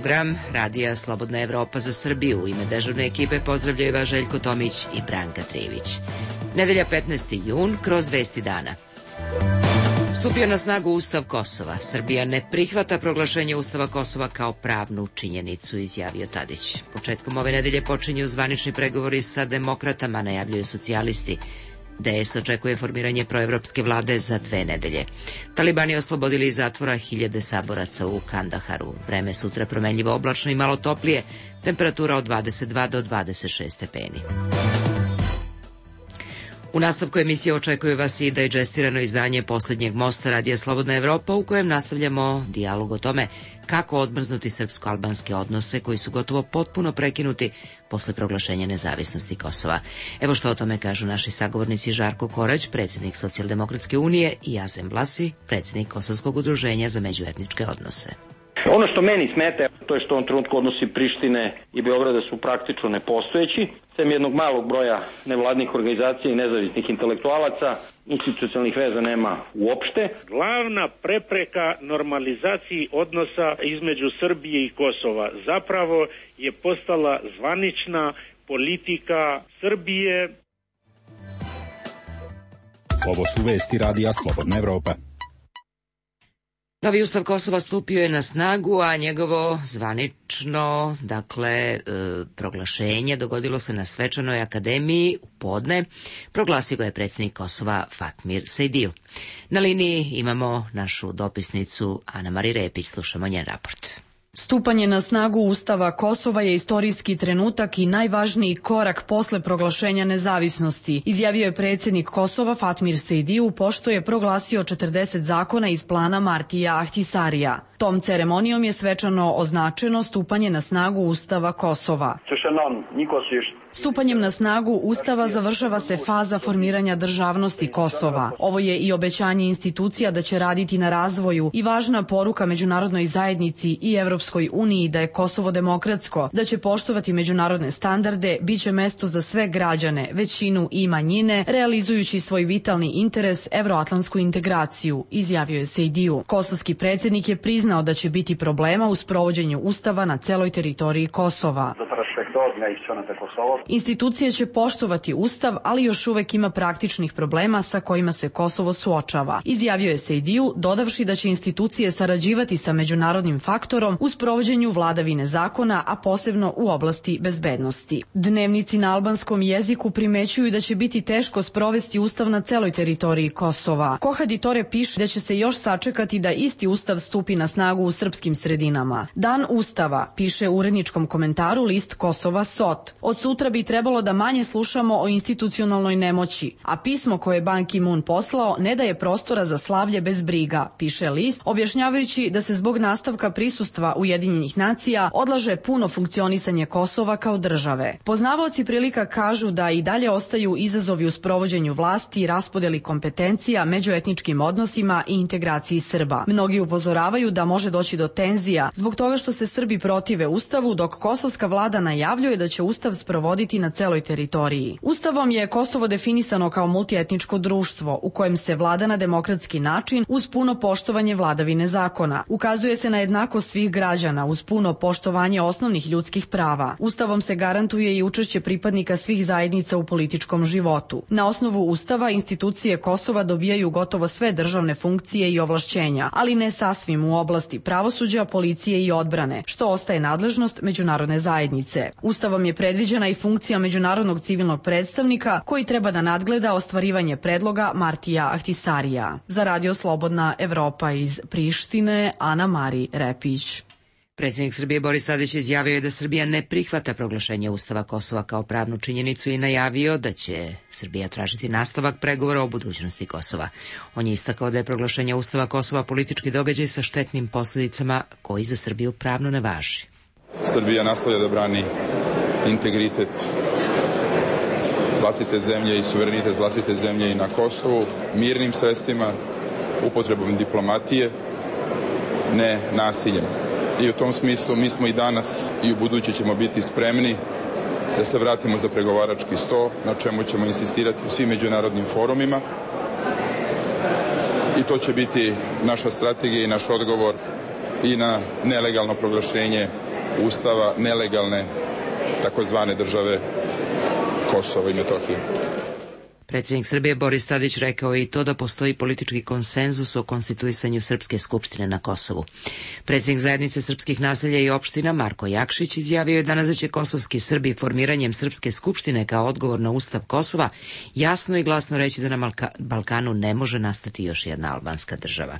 program Radija Slobodna Evropa za Srbiju. U ime dežurne ekipe pozdravljaju vas Željko Tomić i Branka Trivić. Nedelja 15. jun kroz vesti dana. Stupio na snagu Ustav Kosova. Srbija ne prihvata proglašenje Ustava Kosova kao pravnu činjenicu, izjavio Tadić. Početkom ove nedelje počinju zvanični pregovori sa demokratama, najavljuju socijalisti. DS očekuje formiranje proevropske vlade za 2 nedelje. Talibani oslobodili iz zatvora 1000 saboraca u Kandaharu. Vreme sutra promenljivo oblačno i malo toplije, temperatura od 22 do 26 stepeni. U nastavku emisije očekuje vas i dajđestirano izdanje Poslednjeg mosta Radija Slobodna Evropa, u kojem nastavljamo dijalog o tome kako odmrznuti srpsko-albanske odnose koji su gotovo potpuno prekinuti posle proglašenja nezavisnosti Kosova. Evo što o tome kažu naši sagovornici Žarko Korać, predsjednik Socijaldemokratske unije, i Azem Vlasi, predsjednik Kosovskog udruženja za međuetničke odnose. Ono što meni smeta, to je što u ovom trenutku odnosi Prištine i Beograda su praktično nepostojeći. Sem jednog malog broja nevladnih organizacija i nezavisnih intelektualaca, institucionalnih veza nema uopšte. Glavna prepreka normalizaciji odnosa između Srbije i Kosova zapravo je postala zvanična politika Srbije. Ovo su vesti Radija Slobodna Evropa. Novi Ustav Kosova stupio je na snagu, a njegovo zvanično, proglašenje dogodilo se na Svečanoj akademiji u podne. Proglasio ga je predsjednik Kosova Fatmir Sejdiju. Na liniji imamo našu dopisnicu Ana-Mari Repić, slušamo njen raport. Stupanje na snagu Ustava Kosova je istorijski trenutak i najvažniji korak posle proglašenja nezavisnosti, izjavio je predsjednik Kosova Fatmir Sejdiju, pošto je proglasio 40 zakona iz plana Martija Ahtisarija. Tom ceremonijom je svečano označeno stupanje na snagu Ustava Kosova. Stupanjem na snagu Ustava završava se faza formiranja državnosti Kosova. Ovo je i obećanje institucija da će raditi na razvoju i važna poruka međunarodnoj zajednici i Evropskoj uniji da je Kosovo demokratsko, da će poštovati međunarodne standarde, bit će mesto za sve građane, većinu i manjine, realizujući svoj vitalni interes evroatlantsku integraciju, izjavio je Sejdiju. Kosovski predsjednik je priznao da će biti problema u sprovođenju Ustava na celoj teritoriji Kosova. Institucije će poštovati Ustav, ali još uvek ima praktičnih problema sa kojima se Kosovo suočava, izjavio je Sejdiju, dodavši da će institucije sarađivati sa međunarodnim faktorom u sprovođenju vladavine zakona, a posebno u oblasti bezbednosti. Dnevnici na albanskom jeziku primećuju da će biti teško sprovesti Ustav na celoj teritoriji Kosova. Kohaditore piše da će se još sačekati da isti Ustav stupi na snagu u srpskim sredinama. Dan Ustava, piše u uredničkom komentaru list Kosova SOT. Od sutra bi trebalo da manje slušamo o institucionalnoj nemoći, a pismo koje je Ban Ki-moon poslao ne daje prostora za slavlje bez briga, piše list, objašnjavajući da se zbog nastavka prisustva Ujedinjenih nacija odlaže puno funkcionisanje Kosova kao države. Poznavaoci prilika kažu da i dalje ostaju izazovi u sprovođenju vlasti, raspodeli kompetencija, međuetničkim odnosima i integraciji Srba. Mnogi upozoravaju da može doći do tenzija zbog toga što se Srbi protive Ustavu, dok kosovska vlada najavljuje da će Ustav sprovoditi na celoj teritoriji. Ustavom je Kosovo definisano kao multietničko društvo u kojem se vlada na demokratski način uz puno poštovanje vladavine zakona. Ukazuje se na jednakost svih građana uz puno poštovanje osnovnih ljudskih prava. Ustavom se garantuje i učešće pripadnika svih zajednica u političkom životu. Na osnovu Ustava institucije Kosova dobijaju gotovo sve državne funkcije i ovlašćenja, ali ne sasvim u oblasti pravosuđa, policije i odbrane, što ostaje nadležnost međunarodne zajednice. Ustavom je predviđena i funkcija međunarodnog civilnog predstavnika koji treba da nadgleda ostvarivanje predloga Martija Ahtisarija. Za Radio Slobodna Evropa iz Prištine, Ana-Mari Repić. Predsjednik Srbije Boris Tadić izjavio je da Srbija ne prihvata proglašenje Ustava Kosova kao pravnu činjenicu i najavio da će Srbija tražiti nastavak pregovora o budućnosti Kosova. On je istakao da je proglašenje Ustava Kosova politički događaj sa štetnim posljedicama koji za Srbiju pravno ne važi. Srbija nastavlja da brani integritet vlastite zemlje i suverenitet vlastite zemlje i na Kosovu mirnim sredstvima, upotrebom diplomatije, ne nasiljem. I u tom smislu mi smo i danas i u buduće ćemo biti spremni da se vratimo za pregovarački sto, na čemu ćemo insistirati u svim međunarodnim forumima. I to će biti naša strategija i naš odgovor i na nelegalno proglašenje ustava nelegalne takozvane države Kosovo i Metohije. Predsjednik Srbije Boris Tadić rekao je i to da postoji politički konsenzus o konstituisanju Srpske skupštine na Kosovu. Predsjednik zajednice srpskih naselja i opština Marko Jakšić izjavio je danas da će kosovski Srbi formiranjem Srpske skupštine kao odgovor na Ustav Kosova jasno i glasno reći da na Balkanu ne može nastati još jedna albanska država.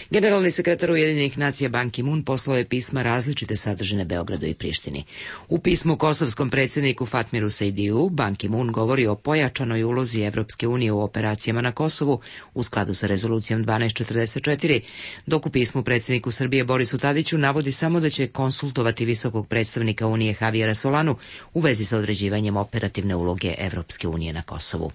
Generalni sekretar Ujedinjenih nacija Ban Ki-moon poslao je pisma različite sadržine Beogradu i Prištini. U pismu kosovskom predsjedniku Fatmiru Sejdiju Ban Ki-moon govori o pojačanoj ulozi Evropske unije u operacijama na Kosovu u skladu sa rezolucijom 1244, dok u pismu predsjedniku Srbije Borisu Tadiću navodi samo da će konsultovati visokog predstavnika Unije Javijera Solanu u vezi sa određivanjem operativne uloge Evropske unije na Kosovu.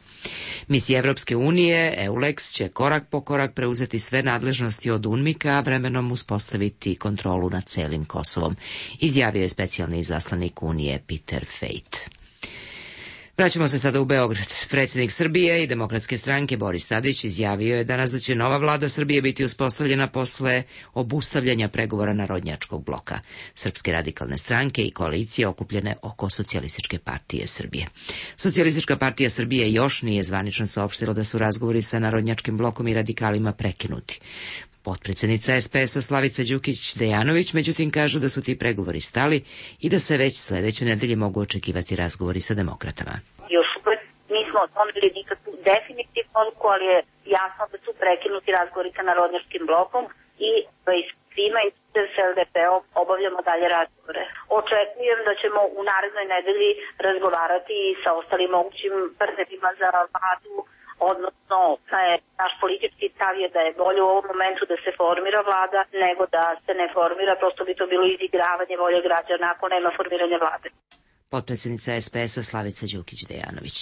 Misija Evropske unije, EULEX, će korak po korak preuzeti sve nadležnosti od UNMIK-a, a vremenom uspostaviti kontrolu nad celim Kosovom, izjavio je specijalni izaslanik Unije Peter Fejt. Vraćamo se sada u Beograd. Predsjednik Srbije i Demokratske stranke Boris Tadić izjavio je danas da će nova vlada Srbije biti uspostavljena posle obustavljanja pregovora Narodnjačkog bloka, Srpske radikalne stranke i koalicije okupljene oko Socijalističke partije Srbije. Socijalistička partija Srbije još nije zvanično saopštila da su razgovori sa Narodnjačkim blokom i radikalima prekinuti. Potpredsjednica SPS-a Slavica Đukić-Dejanović međutim kaže da su ti pregovori stali i da se već sledeće nedelje mogu očekivati razgovori sa demokratama. Još uvek nismo otvorili nikakvu definitivnu odluku, ali je jasno da su prekinuti razgovori sa Narodnjačkim blokom i svima i s LDP-om obavljamo dalje razgovore. Očekujem da ćemo u narednoj nedelji razgovarati i sa ostalim mogućim partnerima za vladu, odnosno naš politički stav je da je bolje u ovom momentu da se formira vlada nego da se ne formira, prosto bi to bilo izigravanje volje građana ako nema formiranja vlade. Potpredsjednica SPS-a Slavica Đukić-Dejanović.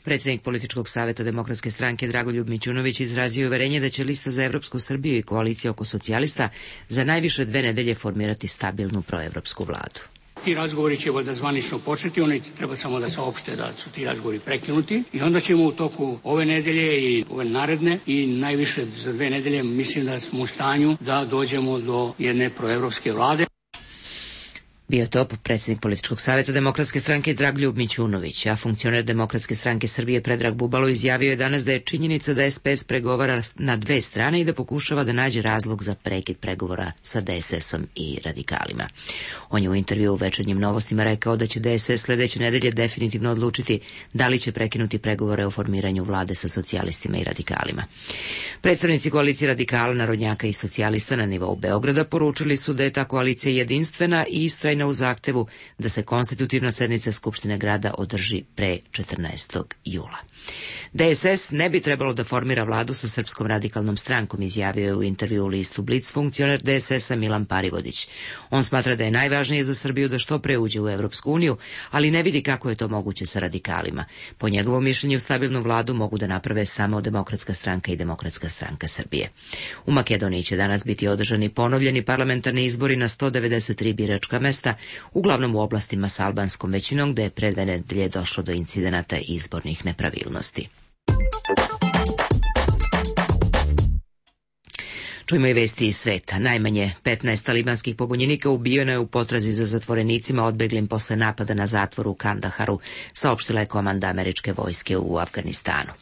Predsjednik Političkog saveta Demokratske stranke Dragoljub Mićunović izrazio uverenje da će lista za Evropsku Srbiju i koalicija oko socijalista za najviše 2 nedelje formirati stabilnu proevropsku vladu. Ti razgovori će valjda zvanično početi, oni treba samo da saopšte da su ti razgovori prekinuti i onda ćemo u toku ove nedelje i ove naredne i najviše za 2 nedelje mislim da smo u stanju da dođemo do jedne proevropske vlade. Bio to predsjednik Političkog saveta Demokratske stranke Dragoljub Mićunović, a funkcioner Demokratske stranke Srbije Predrag Bubalo izjavio je danas da je činjenica da SPS pregovara na 2 strane i da pokušava da nađe razlog za prekid pregovora sa DSS-om i radikalima. On je u intervju u Večernjim novostima rekao da će DSS sledeće nedelje definitivno odlučiti da li će prekinuti pregovore o formiranju vlade sa socijalistima i radikalima. Predstavnici koalicije radikala, narodnjaka i socijalista na nivou Beograda poručili su da je ta koalicija jedinstvena i istrajna u zahtevu da se konstitutivna sednica Skupštine grada održi pre 14. jula. DSS ne bi trebalo da formira vladu sa Srpskom radikalnom strankom, izjavio je u intervju u listu Blic funkcioner DSS-a Milan Parivodić. On smatra da je najvažnije za Srbiju da što pre uđe u Evropsku uniju, ali ne vidi kako je to moguće sa radikalima. Po njegovom mišljenju stabilnu vladu mogu da naprave samo Demokratska stranka i Demokratska stranka Srbije. U Makedoniji će danas biti održani ponovljeni parlamentarni izbori na 193 biračka mesta, uglavnom u oblastima sa albanskom većinom, gde je pre 2 nedelje došlo do incidenata i izbornih nepravilnosti. Čujemo i vesti iz sveta. Najmanje 15 talibanskih pobunjenika ubijeno je u potrazi za zatvorenicima odbeglim posle napada na zatvor u Kandaharu, saopštila je komanda američke vojske u Afganistanu.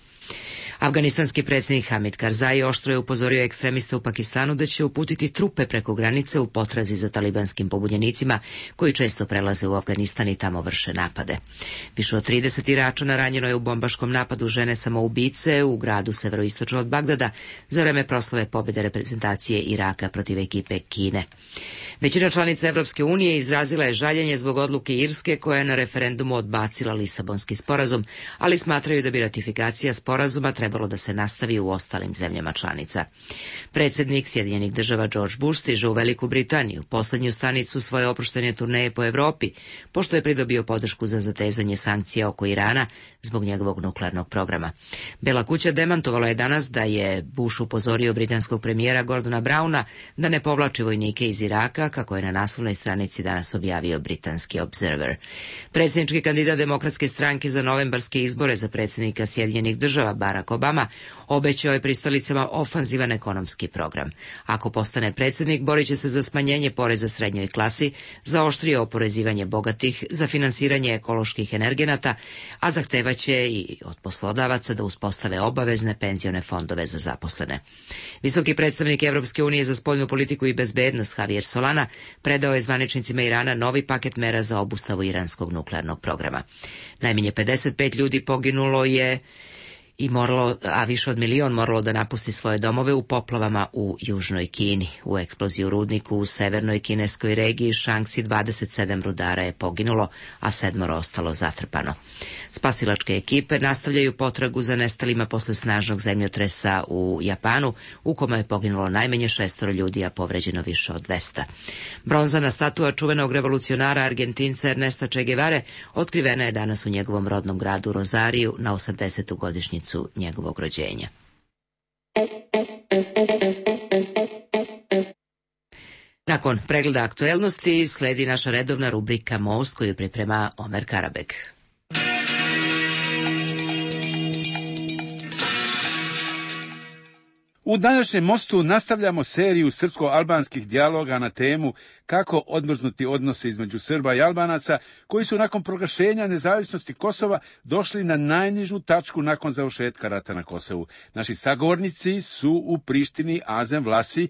Afganistanski predsjednik Hamid Karzai oštro je upozorio ekstremiste u Pakistanu da će uputiti trupe preko granice u potrazi za talibanskim pobunjenicima koji često prelaze u Afganistan i tamo vrše napade. Više od 30 Iračana ranjeno je u bombaškom napadu žene samoubice u gradu severoistočno od Bagdada za vreme proslave pobjede reprezentacije Iraka protiv ekipe Kine. Većina članica Evropske unije izrazila je žaljenje zbog odluke Irske koja je na referendumu odbacila Lisabonski sporazum, ali smatraju da bi ratifikacija sporazuma trebalo da se nastavi u ostalim zemljama članica. Predsjednik Sjedinjenih država George Bush stiže u Veliku Britaniju, poslednju stanicu svoje oproštene turneje po Evropi, pošto je pridobio podršku za zatezanje sankcija oko Irana zbog njegovog nuklearnog programa. Bela kuća demantovala je danas da je Bush upozorio britanskog premijera Gordona Browna da ne povlači vojnike iz Iraka, kako je na naslovnoj stranici danas objavio britanski Observer. Predsjednički kandidat Demokratske stranke za novembarske izbore za predsjednika Sjedinjenih država Barack Obama obećao je pristalicama ofanzivan ekonomski program. Ako postane predsjednik, borit će se za smanjenje poreza srednjoj klasi, za oštrije oporezivanje bogatih, za finansiranje ekoloških energenata, a zahtevaće i od poslodavaca da uspostave obavezne penzione fondove za zaposlene. Visoki predstavnik Evropske unije za spoljnu politiku i bezbednost Javier Solana predao je zvaničnicima Irana novi paket mera za obustavu iranskog nuklearnog programa. Najmanje 55 ljudi poginulo je a više od 1 milion moralo da napusti svoje domove u poplavama u južnoj Kini. U eksploziji u rudniku u severnoj kineskoj regiji Shaanxi 27 rudara je poginulo, a 7 ostalo zatrpano. Spasilačke ekipe nastavljaju potragu za nestalima posle snažnog zemljotresa u Japanu, u kome je poginulo najmanje 6 ljudi, a povređeno više od 200. Bronzana statua čuvenog revolucionara Argentinca Ernesta Che Guevare otkrivena je danas u njegovom rodnom gradu Rozariju na 80. godišnjicu njegovog rođenja. Nakon pregleda aktuelnosti sledi naša redovna rubrika Most koju priprema Omer Karabek. U današnjem Mostu nastavljamo seriju srpsko-albanskih dijaloga na temu kako odmrznuti odnose između Srba i Albanaca, koji su nakon proglašenja nezavisnosti Kosova došli na najnižu tačku nakon završetka rata na Kosovu. Naši sagovornici su u Prištini Azem Vlasi,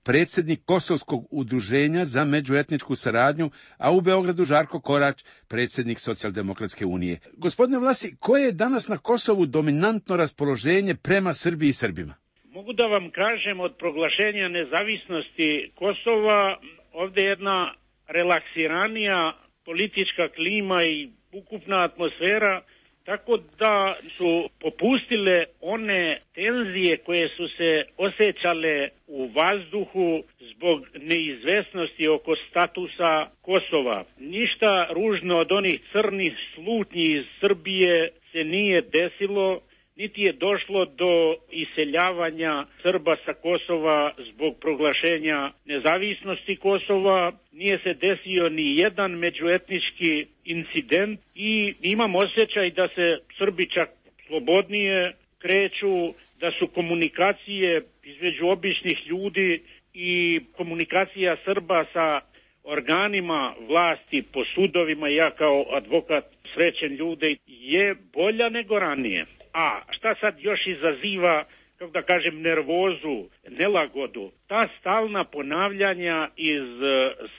predsjednik Kosovskog udruženja za međuetničku saradnju, a u Beogradu Žarko Korać, predsjednik Socijaldemokratske unije. Gospodine Vlasi, koje je danas na Kosovu dominantno raspoloženje prema Srbiji i Srbima? Mogu da vam kažem, od proglašenja nezavisnosti Kosova ovdje jedna relaksiranija politička klima i ukupna atmosfera, tako da su popustile one tenzije koje su se osjećale u vazduhu zbog neizvesnosti oko statusa Kosova. Ništa ružno od onih crnih slutnji iz Srbije se nije desilo, niti je došlo do iseljavanja Srba sa Kosova zbog proglašenja nezavisnosti Kosova, nije se desio ni jedan međuetnički incident i imam osjećaj da se Srbi čak slobodnije kreću, da su komunikacije između običnih ljudi i komunikacija Srba sa organima vlasti po sudovima, ja kao advokat srećen ljude, je bolja nego ranije. A šta sad još izaziva, kako da kažem, nervozu, nelagodu? Ta stalna ponavljanja iz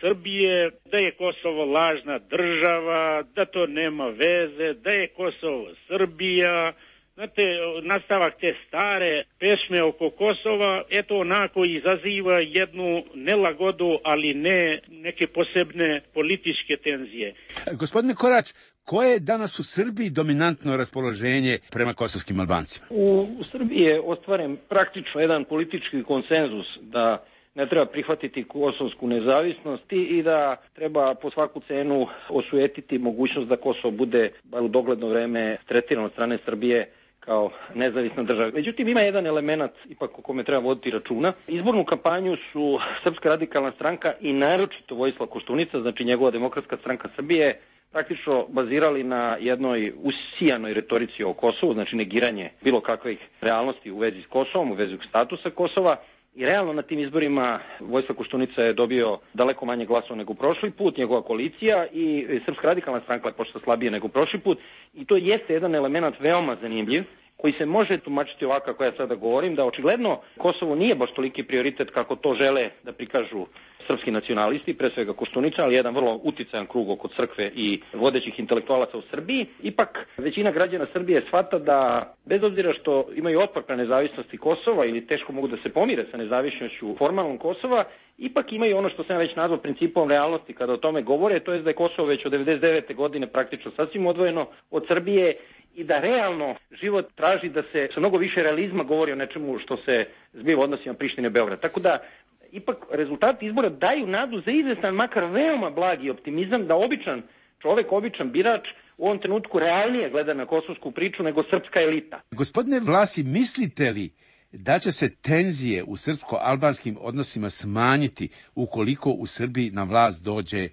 Srbije da je Kosovo lažna država, da to nema veze, da je Kosovo Srbija. Znate, nastavak te stare pesme oko Kosova, eto onako izaziva jednu nelagodu, ali ne neke posebne političke tenzije. Gospodine Korać, koje je danas u Srbiji dominantno raspoloženje prema kosovskim Albancima? U Srbiji je ostvaren praktično jedan politički konsenzus da ne treba prihvatiti kosovsku nezavisnost i da treba po svaku cenu osujetiti mogućnost da Kosovo bude bar u dogledno vreme tretirano od strane Srbije kao nezavisna država. Međutim, ima jedan element ipak o kome treba voditi računa. Izbornu kampanju su Srpska radikalna stranka i naročito Vojislav Koštunica, znači njegova Demokratska stranka Srbije, praktično bazirali na jednoj usijanoj retorici o Kosovu, znači negiranje bilo kakvih realnosti u vezi s Kosovom, u vezi statusa Kosova. I realno na tim izborima Vojislav Koštunica je dobio daleko manje glasova nego prošli put, njegova koalicija, i Srpska radikalna stranka je počela slabije nego prošli put. I to jeste jedan element veoma zanimljiv, koji se može tumačiti ovako kako ja sada govorim, da očigledno Kosovo nije baš toliki prioritet kako to žele da prikažu srpski nacionalisti, pre svega Koštunica, ali jedan vrlo uticajan krug oko crkve i vodećih intelektualaca u Srbiji. Ipak većina građana Srbije shvata da, bez obzira što imaju otpor na nezavisnosti Kosova ili teško mogu da se pomire sa nezavisnošću formalnom Kosova, ipak imaju ono što sam već nazvao principom realnosti kada o tome govore, to je da je Kosovo već od 1999. godine praktično sasvim odvojeno od Srbije i da realno život traži da se sa mnogo više realizma govori o nečemu što se zbiva u odnosima Prištine i Beograda. Tako da ipak rezultati izbora daju nadu za izvestan, makar veoma blagi optimizam da običan čovek, običan birač u ovom trenutku realnije gleda na kosovsku priču nego srpska elita. Gospodine Vlasi, mislite li da će se tenzije u srpsko-albanskim odnosima smanjiti ukoliko u Srbiji na vlast dođe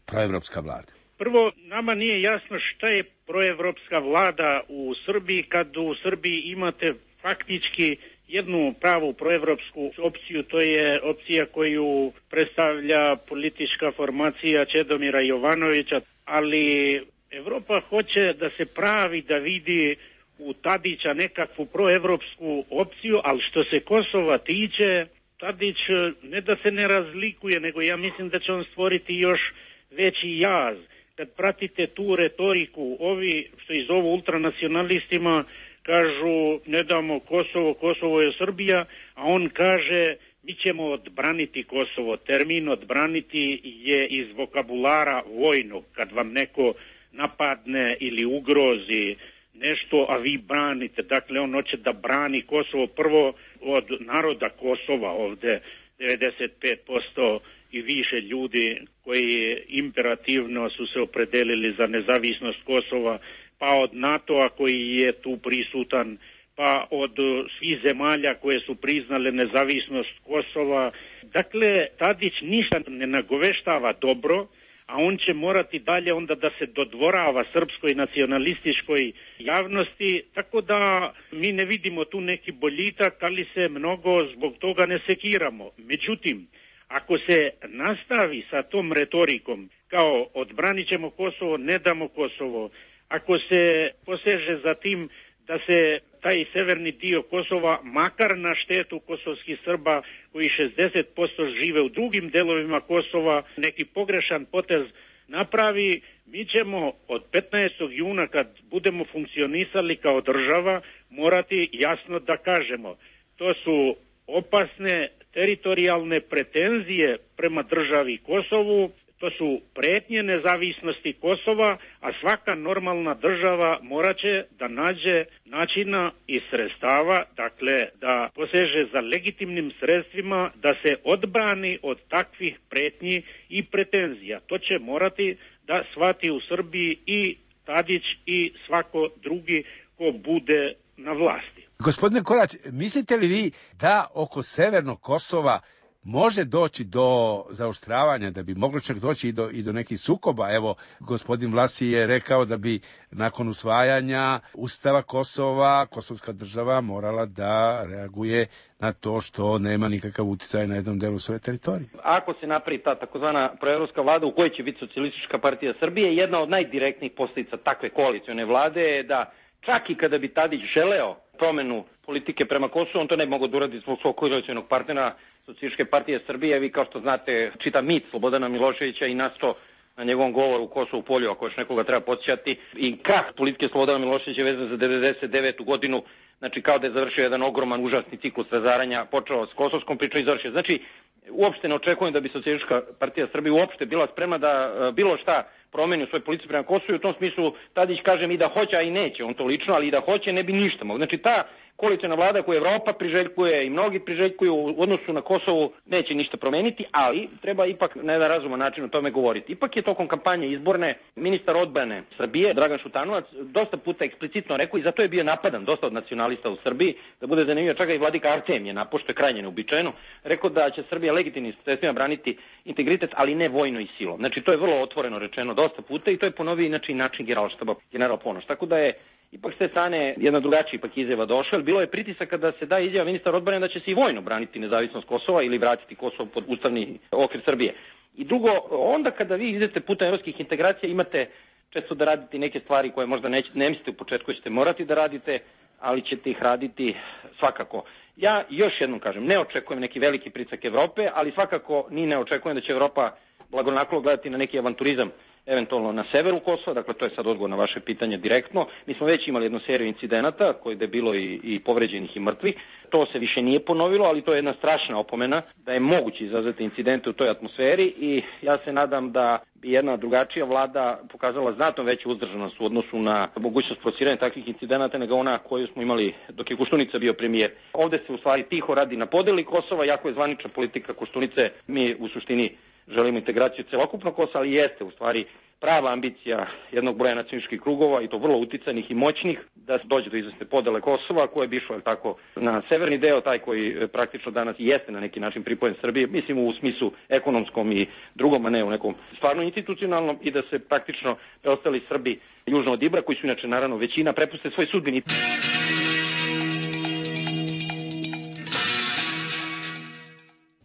proevropska vlada? Prvo, nama nije jasno šta je proevropska vlada u Srbiji kad u Srbiji imate faktički jednu pravu proevropsku opciju, to je opcija koju predstavlja politička formacija Čedomira Jovanovića, ali Evropa hoće da se pravi da vidi u Tadića nekakvu proevropsku opciju, ali što se Kosova tiče, Tadić ne da se ne razlikuje, nego ja mislim da će on stvoriti još veći jaz. Kad pratite tu retoriku, ovi što ih zovu ultranacionalistima kažu ne damo Kosovo, Kosovo je Srbija, a on kaže mi ćemo odbraniti Kosovo. Termin odbraniti je iz vokabulara vojnog, kad vam neko napadne ili ugrozi nešto, a vi branite. Dakle, on hoće da brani Kosovo prvo od naroda Kosova, ovde 95% i više ljudi koji imperativno su se opredelili za nezavisnost Kosova, pa od NATO-a koji je tu prisutan, pa od svih zemalja koje su priznale nezavisnost Kosova. Dakle, Tadić ništa ne nagoveštava dobro, a on će morati dalje onda da se dodvorava srpskoj nacionalističkoj javnosti, tako da mi ne vidimo tu neki boljitak, ali se mnogo zbog toga ne sekiramo. Međutim, ako se nastavi sa tom retorikom, kao odbranit ćemo Kosovo, ne damo Kosovo, ako se poseže za tim da se taj severni dio Kosova, makar na štetu kosovskih Srba koji 60% žive u drugim delovima Kosova, neki pogrešan potez napravi, mi ćemo od 15. juna kad budemo funkcionisali kao država morati jasno da kažemo. To su opasne teritorijalne pretenzije prema državi Kosovu, to su pretnje nezavisnosti Kosova, a svaka normalna država moraće da nađe načina i sredstava, dakle da poseže za legitimnim sredstvima da se odbrani od takvih pretnji i pretenzija. To će morati da shvati u Srbiji i Tadić i svako drugi ko bude na vlasti. Gospodine Korać, mislite li vi da oko severnog Kosova može doći do zaoštravanja, da bi moglo čak doći i do nekih sukoba? Evo, gospodin Vlasi je rekao da bi nakon usvajanja Ustava Kosova, kosovska država morala da reaguje na to što nema nikakav uticaj na jednom delu svoje teritorije. Ako se napravi ta takozvana proevropska vlada u kojoj će biti Socijalistička partija Srbije, jedna od najdirektnijih posljedica takve koalicione vlade je da čak i kada bi Tadić želeo promenu politike prema Kosovu, on to ne bi mogao da uradi zbog svog koalicionog partnera Socijalističke partije Srbije. Vi kao što znate čita mit Slobodana Miloševića i nasto na njegovom govoru u Kosovu polju, ako još nekoga treba podsjećati, i krah politike Slobodana Miloševića vezan za 99. godinu, znači kao da je završio jedan ogroman, užasni ciklus razaranja, počeo s kosovskom pričom i završio. Znači, uopšte ne očekujem da bi Socijalistička partija Srbije uopšte bila spremna da bilo šta promeni u svoj politici prema Kosovu. U tom smislu Tadić kaže i da hoće, a i neće, on to lično, ali i da hoće ne bi ništa mogao. Znači ta koaliciona vlada koju Evropa priželjkuje i mnogi priželjkuju u odnosu na Kosovu neće ništa promeniti, ali treba ipak na jedan razuman način o tome govoriti. Ipak je tokom kampanje izborne ministar odbrane Srbije, Dragan Šutanovac, dosta puta eksplicitno rekao i zato je bio napadan dosta od nacionalista u Srbiji, da bude zanimljivo, čak i vladika Artem je napošto je krajnje neuobičajeno, rekao da će Srbija legitimnim sredstvima braniti integritet, ali ne vojno i silom. Znači to je vrlo otvoreno rečeno dosta puta i to je ponovio inače i način generalštaba general Ponoš. Tako da je ipak s te strane jedna drugačija ipak izjava došla, bilo je pritisak kada se da izjava ministar odbrane da će se i vojno braniti nezavisnost Kosova ili vratiti Kosovo pod ustavni okvir Srbije. I drugo, onda kada vi idete putem evropskih integracija imate često da radite neke stvari koje možda ne mislite u početku ćete morati da radite, ali ćete ih raditi svakako. Ja još jednom kažem, ne očekujem neki veliki pritisak Evrope, ali svakako ni ne očekujem da će Evropa blagonaklono gledati na neki avanturizam eventualno na severu Kosova, dakle to je sad odgovor na vaše pitanje direktno. Mi smo već imali jednu seriju incidenata koje je bilo i povređenih i mrtvih. To se više nije ponovilo, ali to je jedna strašna opomena da je moguće izazvati incidente u toj atmosferi i ja se nadam da bi jedna drugačija vlada pokazala znatno veću uzdržanost u odnosu na mogućnost prociranja takvih incidenata nego ona koju smo imali dok je Koštunica bio premijer. Ovde se u stvari tiho radi na podeli Kosova, jako je zvanična politika Koštunice, mi u suštini želimo integraciju celokupnog Kosova, ali jeste u stvari prava ambicija jednog broja nacionalističkih krugova i to vrlo uticajnih i moćnih da dođe do izvesne podele Kosova koje bi išlo tako na severni deo, taj koji praktično danas jeste na neki način pripojen Srbije, mislim u smislu ekonomskom i drugom, a ne u nekom stvarno institucionalnom i da se praktično preostali Srbi južno od Ibra, koji su inače naravno većina, prepuste svoj sudbini.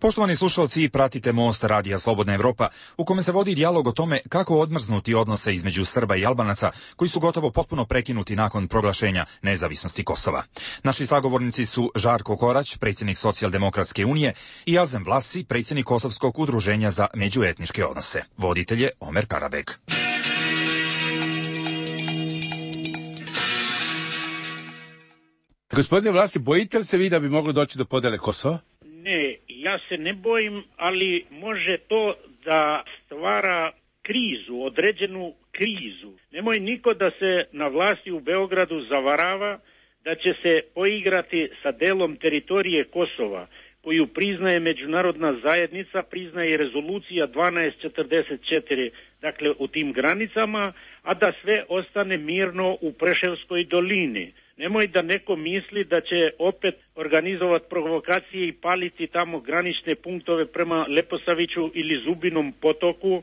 Poštovani slušalci, pratite Most radija Slobodna Evropa, u kome se vodi dijalog o tome kako odmrznuti odnose između Srba i Albanaca, koji su gotovo potpuno prekinuti nakon proglašenja nezavisnosti Kosova. Naši sagovornici su Žarko Korać, predsjednik Socijaldemokratske unije, i Azem Vlasi, predsjednik Kosovskog udruženja za međuetničke odnose. Voditelj je Omer Karabek. Gospodine Vlasi, bojite li se vi da bi moglo doći do podele Kosova? Ne, ja se ne bojim, ali može to da stvara krizu, određenu krizu. Nemoj niko da se na vlasti u Beogradu zavarava da će se poigrati sa delom teritorije Kosova, koju priznaje međunarodna zajednica, priznaje rezolucija 1244, dakle u tim granicama, a da sve ostane mirno u Preševskoj dolini. Nemoj da neko misli da će opet organizovati provokacije i paliti tamo granične punktove prema Leposaviću ili Zubinom potoku,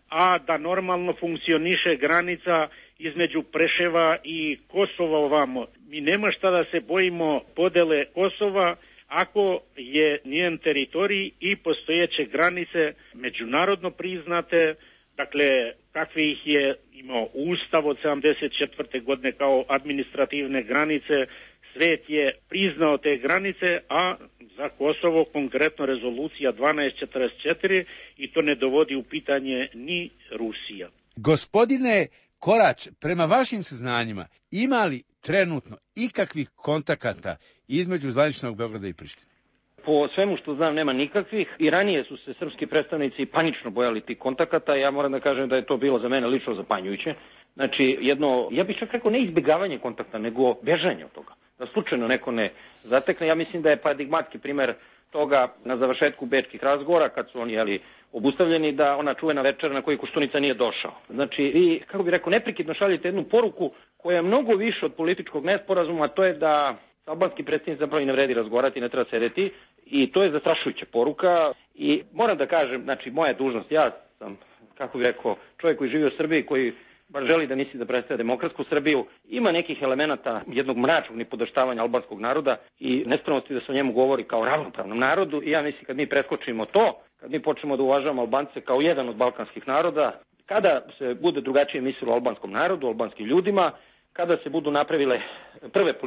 a da normalno funkcioniše granica između Preševa i Kosova ovamo. Mi nema šta da se bojimo podele Kosova ako je njen teritorij i postojeće granice međunarodno priznate, dakle kakve ih je imao Ustav od 74. godine kao administrativne granice, svet je priznao te granice, a za Kosovo konkretno rezolucija 1244 i to ne dovodi u pitanje ni Rusija. Gospodine Korać, prema vašim saznanjima, ima li trenutno ikakvih kontakata između zvaničnog Beograda i Prištine? Po svemu što znam nema nikakvih. I ranije su se srpski predstavnici panično bojali tih kontakata. Ja moram da kažem da je to bilo za mene lično zapanjujuće. Znači jedno, ja bih čak rekao ne izbjegavanje kontakta, nego bežanje od toga. Da slučajno neko ne zatekne. Ja mislim da je paradigmatski primer toga na završetku bečkih razgovora, kad su oni obustavljeni, da ona čuvena večera na koju Koštunica nije došao. Znači vi, kako bih rekao, neprekidno šaljete jednu poruku koja je mnogo više od političkog nesporazuma, a to je da albanski predstavnici zapravo i ne vredi razgovarati, ne treba sedeti, i to je zastrašujuća poruka. I moram da kažem, znači moja dužnost, ja sam, kako bih rekao, čovjek koji živi u Srbiji, koji bar želi da misli da predstavlja demokratsku Srbiju, ima nekih elemenata jednog mračnog nipodaštavanja albanskog naroda i nespremnosti da se o njemu govori kao ravnopravnom narodu. I ja mislim kad mi preskočimo to, kad mi počnemo da uvažavamo Albance kao jedan od balkanskih naroda, kada se bude drugačije mislilo o albanskom narodu, albanskim ljudima, kada se budu napravile prve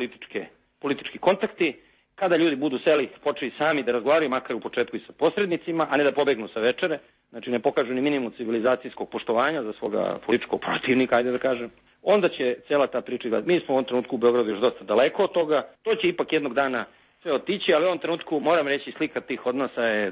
politički kontakti, kada ljudi budu seli, počeli sami da razgovaraju, makar u početku i sa posrednicima, a ne da pobegnu sa večere, znači ne pokažu ni minimum civilizacijskog poštovanja za svoga političkog protivnika, ajde da kažem, onda će cela ta priča gledati. Mi smo u ovom trenutku u Beogradu još dosta daleko od toga, to će ipak jednog dana sve otići, ali u ovom trenutku, moram reći, slika tih odnosa je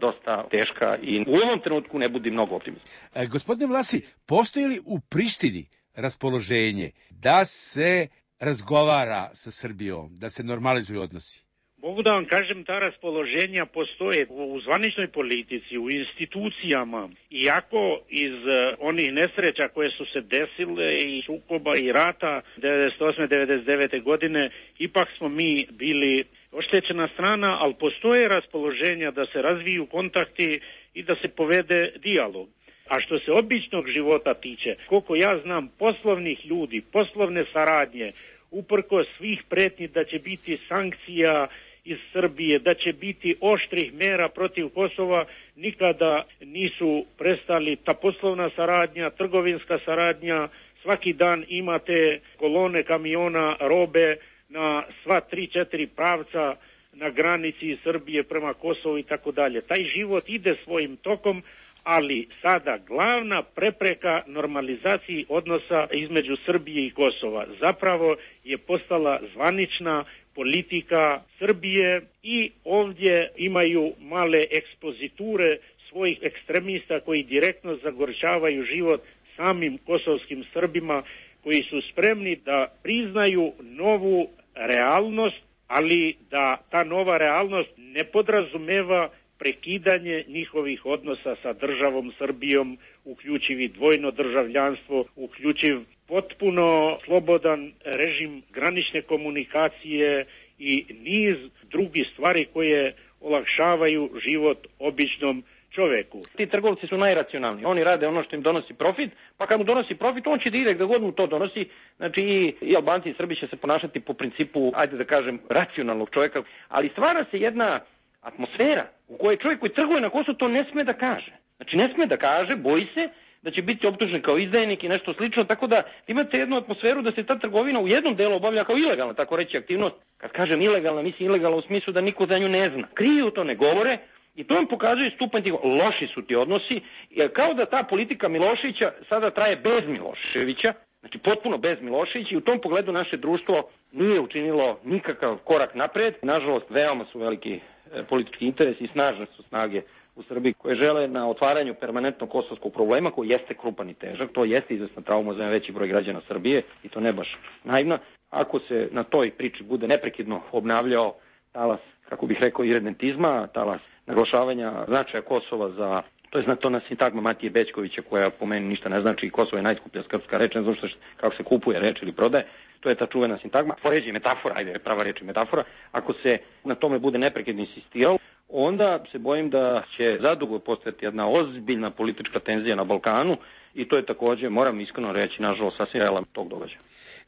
dosta teška i u ovom trenutku ne budi mnogo optimista. Gospodine Vlasi, postoji li u Prištini raspoloženje da se razgovara sa Srbijom, da se normalizuju odnosi? Mogu da vam kažem, ta raspoloženja postoje u zvaničnoj politici, u institucijama, iako iz onih nesreća koje su se desile i sukoba i rata 98. 99. godine, ipak smo mi bili oštećena strana, ali postoje raspoloženja da se razviju kontakti i da se povede dijalog. A što se običnog života tiče, koliko ja znam poslovnih ljudi, poslovne saradnje, uprkos svih pretnji da će biti sankcija iz Srbije, da će biti oštrih mera protiv Kosova, nikada nisu prestali. Ta poslovna saradnja, trgovinska saradnja, svaki dan imate kolone kamiona robe na sva 3-4 pravca na granici Srbije prema Kosovu i tako dalje. Taj život ide svojim tokom, ali sada glavna prepreka normalizaciji odnosa između Srbije i Kosova zapravo je postala zvanična politika Srbije i ovdje imaju male ekspoziture svojih ekstremista koji direktno zagorčavaju život samim kosovskim Srbima, koji su spremni da priznaju novu realnost, ali da ta nova realnost ne podrazumeva prekidanje njihovih odnosa sa državom Srbijom, uključivi dvojno državljanstvo, uključiv potpuno slobodan režim granične komunikacije i niz drugih stvari koje olakšavaju život običnom čoveku. Ti trgovci su najracionalniji. Oni rade ono što im donosi profit, pa kad mu donosi profit, on će da ide gde god mu to donosi. Znači i Albanci i Srbi će se ponašati po principu, ajde da kažem, racionalnog čovjeka. Ali stvara se jedna atmosfera u kojoj čovjek koji trguje na Kosovu to ne sme da kaže. Znači ne sme da kaže, boji se da će biti optužen kao izdajnik i nešto slično, tako da imate jednu atmosferu da se ta trgovina u jednom delu obavlja kao ilegalna, tako reći, aktivnost. Kad kažem ilegalna, mislim ilegalna u smislu da niko za nju ne zna. Kriju to, ne govore, i to vam pokazuje stupanj tih, loši su ti odnosi, jer kao da ta politika Miloševića sada traje bez Miloševića, znači potpuno bez Miloševića, i u tom pogledu naše društvo nije učinilo nikakav korak napred. Nažalost, veoma su veliki politički interesi i snažne su snage u Srbiji koje žele na otvaranju permanentnog kosovskog problema, koji jeste krupan i težak, to jeste izvesna trauma za veći broj građana Srbije i to ne baš naivna. Ako se na toj priči bude neprekidno obnavljao talas, kako bih rekao, iredentizma, talas naglašavanja značaja Kosova za, to je znatona sintagma Matije Bećkovića koja po meni ništa ne znači, Kosovo je najskuplja srpska reč, ne znam kako se kupuje reč ili prodaje, to je ta čuvena sintagma, poređi metafora, ajde, prava reč je metafora. Ako se na tome bude neprekidno insistiralo, onda se bojim da će zadugo postojati jedna ozbiljna politička tenzija na Balkanu i to je također, moram iskreno reći, nažalost sasvim realan tog događaja.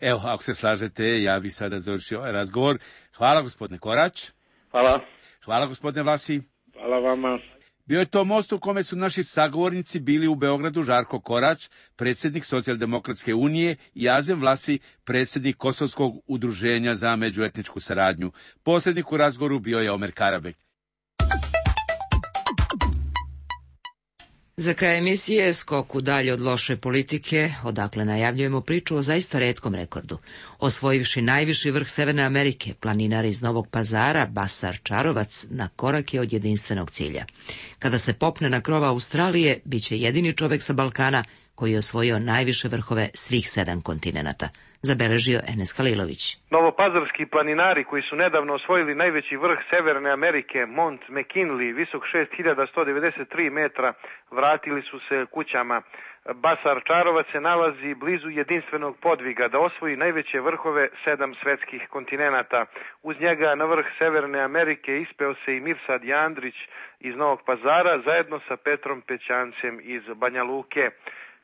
Evo, ako se slažete, ja bih sada završio ovaj razgovor. Hvala gospodine Korać. Hvala. Hvala gospodine Vlasi. Hvala vama. Bio je to most u kome su naši sagovornici bili u Beogradu Žarko Korać, predsjednik Socijaldemokratske unije, i Azem Vlasi, predsjednik Kosovskog udruženja za međuetničku saradnju. Posrednik u razgovoru bio je Omer Karabek. Za kraj emisije skoku dalje od loše politike, odakle najavljujemo priču o zaista retkom rekordu. Osvojivši najviši vrh Severne Amerike, planinar iz Novog Pazara, Basar Čarovac, na korak je od jedinstvenog cilja. Kada se popne na krova Australije, bit će jedini čovek sa Balkana koji je osvojio najviše vrhove svih 7 kontinenata, zabeležio Enes Halilović. Novopazarski planinari koji su nedavno osvojili najveći vrh Severne Amerike, Mont McKinley, visok 6193 metra, vratili su se kućama. Basar Čarovac se nalazi blizu jedinstvenog podviga da osvoji najveće vrhove 7 svetskih kontinenata. Uz njega na vrh Severne Amerike ispeo se i Mirsad Jandrić iz Novog Pazara zajedno sa Petrom Pećancem iz Banja Luke.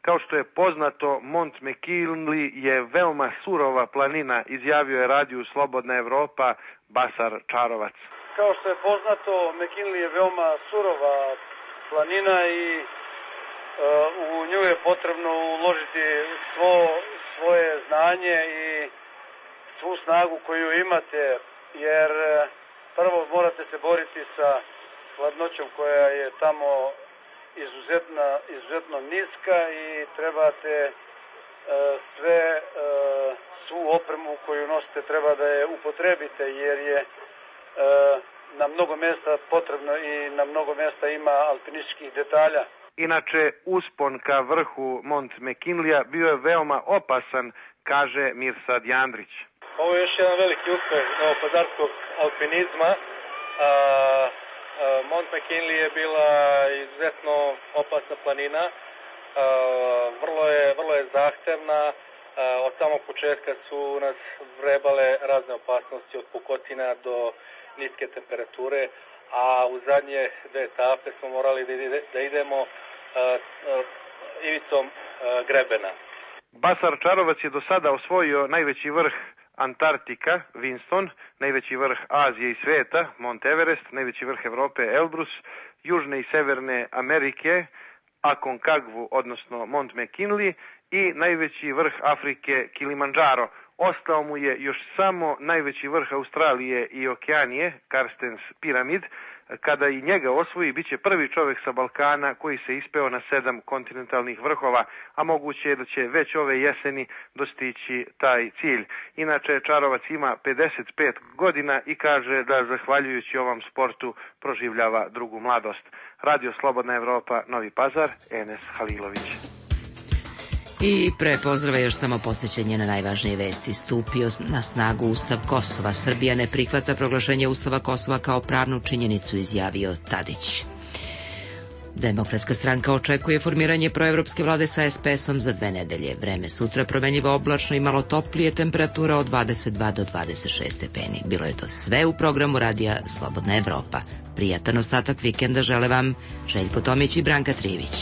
Kao što je poznato, Mont McKinley je veoma surova planina, izjavio je radiju Slobodna Evropa Basar Čarovac. Kao što je poznato, McKinley je veoma surova planina i u nju je potrebno uložiti svoje znanje i svu snagu koju imate, jer prvo morate se boriti sa hladnoćom koja je tamo izuzetno niska i trebate svu opremu koju nosite treba da je upotrebite, jer je na mnogo mjesta potrebno i na mnogo mjesta ima alpinističkih detalja. Inače, uspon ka vrhu Mont McKinleya bio je veoma opasan, kaže Mirsad Jandrić. Ovo je još jedan veliki uspeh novopazarskog alpinizma. Mont McKinley je bila izuzetno opasna planina, vrlo je zahtevna, od samog početka su nas vrebale razne opasnosti od pukotina do niske temperature, a u zadnje 2 etape smo morali da idemo ivicom grebena. Basar Čarovac je do sada osvojio najveći vrh Antarktika, Winston, najveći vrh Azije i sveta, Mont Everest, najveći vrh Evrope, Elbrus, Južne i Severne Amerike, Aconcagua, odnosno Mont McKinley, i najveći vrh Afrike, Kilimandžaro. Ostao mu je još samo najveći vrh Australije i Okeanije, Karstens piramid. Kada i njega osvoji, bit će prvi čovjek sa Balkana koji se ispeo na 7 kontinentalnih vrhova, a moguće je da će već ove jeseni dostići taj cilj. Inače, Čarovac ima 55 godina i kaže da zahvaljujući ovom sportu proživljava drugu mladost. Radio Slobodna Evropa, Novi Pazar, Enes Halilović. I pre pozdrava još samo podsjećanje na najvažnije vesti. Stupio na snagu Ustav Kosova. Srbija ne prihvata proglašenje Ustava Kosova kao pravnu činjenicu, izjavio Tadić. Demokratska stranka očekuje formiranje proevropske vlade sa SPS-om za 2 nedelje. Vreme sutra promenljivo oblačno i malo toplije, temperatura od 22 do 26 stepeni. Bilo je to sve u programu radija Slobodna Evropa. Prijatan ostatak vikenda žele vam Željko Tomić i Branka Trivić.